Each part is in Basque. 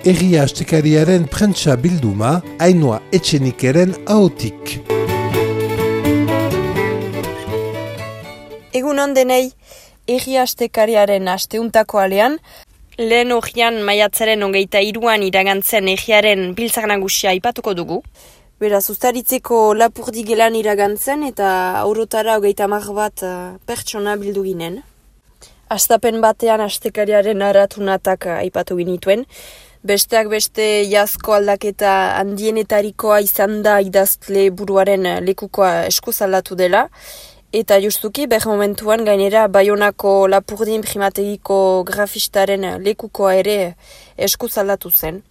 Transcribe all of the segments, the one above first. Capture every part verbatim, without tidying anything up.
Egia Astekariaren prentsa bilduma, Ainhoa Etxenikeren ahotik. Egunon denei, Egia Astekariaren asteuntako alean, lehen ogian maiatzaren hogeita hiruan iragantzen egiaren biltzar nagusia aipatuko dugu. Beraz, ustaritzeko lapurdi gelan iragantzen eta aurotara hogeita hamar bat uh, pertsona bildu ginen. Astapen batean astekariaren aratunatak aipatu ginituen. Besteak beste jazko aldaketa handienetarikoa izan da idazle buruaren lekukoa eskuz aldatu dela. Eta justuki, ber momentuan gainera Baionako Lapurdin primategiko grafistaren lekukoa ere eskuz aldatu zen.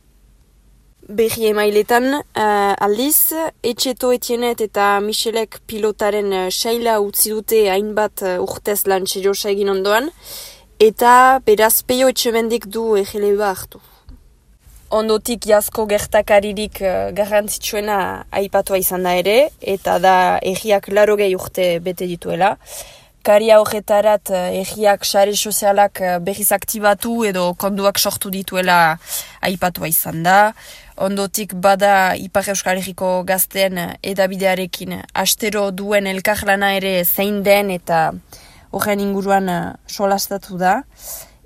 Berri emailetan, uh, aldiz, Etxeto Etienet eta Michelek pilotaren uh, saila utzi dute hainbat uh, urtez lan seriosa egin ondoan, eta beraz Peio Etxemendik du egeleba hartu. Ondotik jazko gertakaririk uh, garrantzitsuena aipatua izan da ere, eta da egiak larogei urte bete dituela. Karia horretarat egiak sare sozialak berriz aktibatu edo konduak sortu dituela aipatua izan da. Ondotik bada Ipar Euskal Herriko gazteen edabidearekin astero duen elkarlana ere zein den eta horren inguruan solastatu da.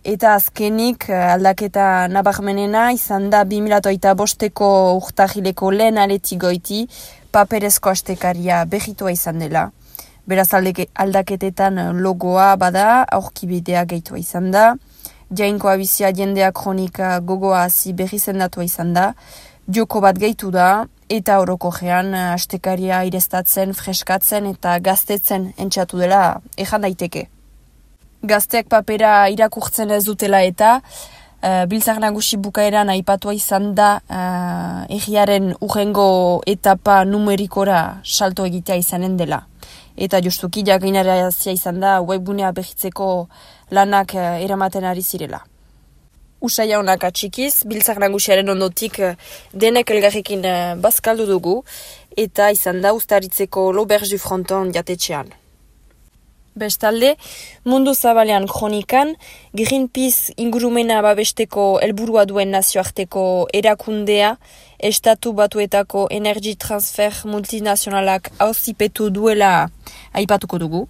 Eta azkenik aldaketa nabarmenena izan da bi mila hogeita bosteko urtahileko lehen aletik goiti paperezko astekaria berritua izan dela. Beraz aldaketetan logoa bada, aurkibidea gehitua izan da. Jainkoa bizia jendea kronika gogoa hazi berri zendatua izan da. Joko bat gehitu da, eta orokorrean astekaria ireztatzen, freskatzen eta gaztetzen entxatu dela ejan daiteke. Gazteak papera irakurtzen ez dutela eta uh, biltzar nagusi bukaeran aipatua izan da uh, egiaren urrengo etapa numerikora salto egitea izanen dela. Eta justuki jakinarazia izan da webgunea behitzeko lanak uh, eramaten ari zirela. Usaia honak atxikiz, biltzar nagusiaren ondotik uh, denek elgarrekin uh, bazkaldu dugu eta izan da ustaritzeko L'Auberge du Fronton jatetxean. Bestalde, mundu zabalean kronikan, Greenpeace ingurumena babesteko helburua duen nazioarteko erakundea, estatu batuetako energy transfer multinazionalak auzipetu duela aipatuko dugu.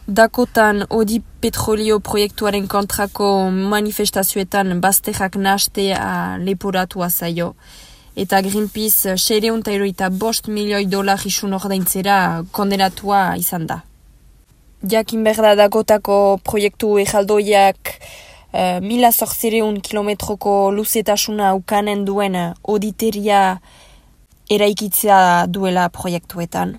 Dakotan Odi petrolio proiektuaren kontrako manifestazioetan bazterrak nahastea leporatua zaio. Eta Greenpeace seiehun eta hirurogeita bost milioi dolar isun ordaintzera kondenatua izan da. Jakin berda Dakotako proiektu ejaldoiak uh, mila zortzireun kilometroko luzetasuna ukanen duen oditeria eraikitzea duela proiektuetan.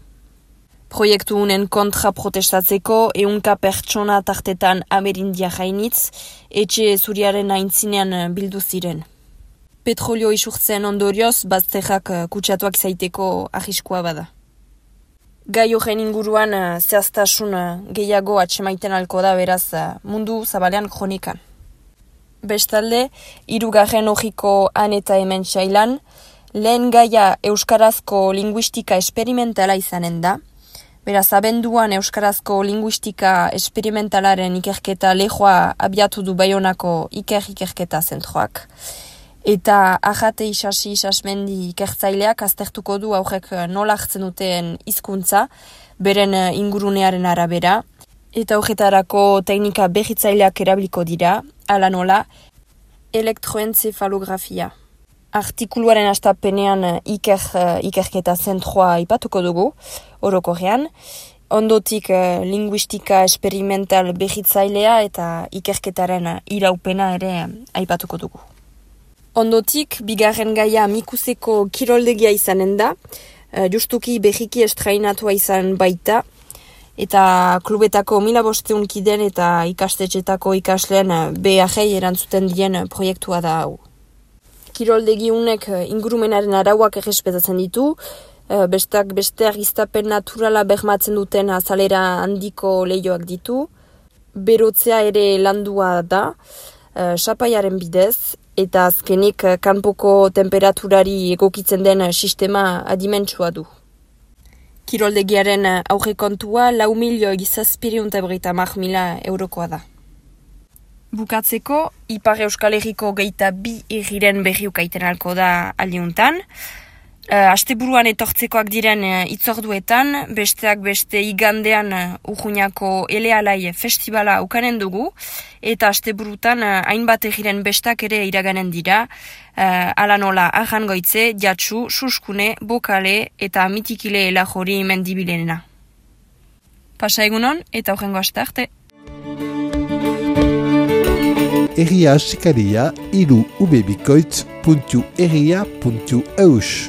Proiektu unen kontra protestatzeko ehunka pertsona tartetan amerindia jainitz, etxe zuriaren aintzinean bildu ziren. Petrolio isurtzen ondorioz, bazterrak kutsatuak zaiteko arriskua bada. Gai horren inguruan uh, zehaztasun uh, gehiago atsemaiten alko da beraz uh, mundu zabalean kronikan. Bestalde, hirugarren hogiko han eta hemen sailan, lehen gaia euskarazko linguistika esperimentala izanen da. Beraz, abenduan euskarazko linguistika esperimentalaren ikerketa lehoa abiatu du Baionako iker-ikerketa zentroak. Eta Ajate Isasi Isasmendi ikertzaileak aztertuko du aurrek nola hartzen duten hizkuntza beren ingurunearen arabera. Eta horretarako teknika berritzaileak erabiliko dira, ala nola, elektroentzefalografia. Artikuluaren astapenean iker, ikerketa zentroa ipatuko dugu, orokorrean. Ondotik linguistika esperimental berritzailea eta ikerketaren iraupena ere aipatuko dugu. Ondotik, bigarren gaia Mikuseko kiroldegia izanen da, justuki berriki estrainatua izan baita, eta klubetako mila bosteun kiden eta ikastetxetako ikasleen beharrei erantzuten dien proiektua da hau. Kiroldegi unek ingurumenaren arauak errespetatzen ditu, bestak beste argiztapen naturala bermatzen duten azalera handiko lehioak ditu, berotzea ere landua da, sapaiaren bidez, eta azkenik kanpoko temperaturari egokitzen den sistema adimentsua du. Kiroldegiaren aurrekontua lau milioi zazpireun eta berrogeita hamar mila eurokoa da. Bukatzeko, Ipar Euskal Herriko geita bi egiren berriukaiten alko da aliuntan. Uh, asteburuan etortzekoak diren uh, itzorduetan, besteak beste igandean uh, Urruñako Elealai festivala ukanen dugu, eta asteburutan uh, hainbat egiren bestak ere iraganen dira, uh, ala nola Arrangoitze, Jatsu, Suskune, Bokale eta Mitikile elajori mendibilenena. Pasa egunon eta horrengo aste arte. Herria astekaria hiru ubebikoitz puntu herria puntu eus.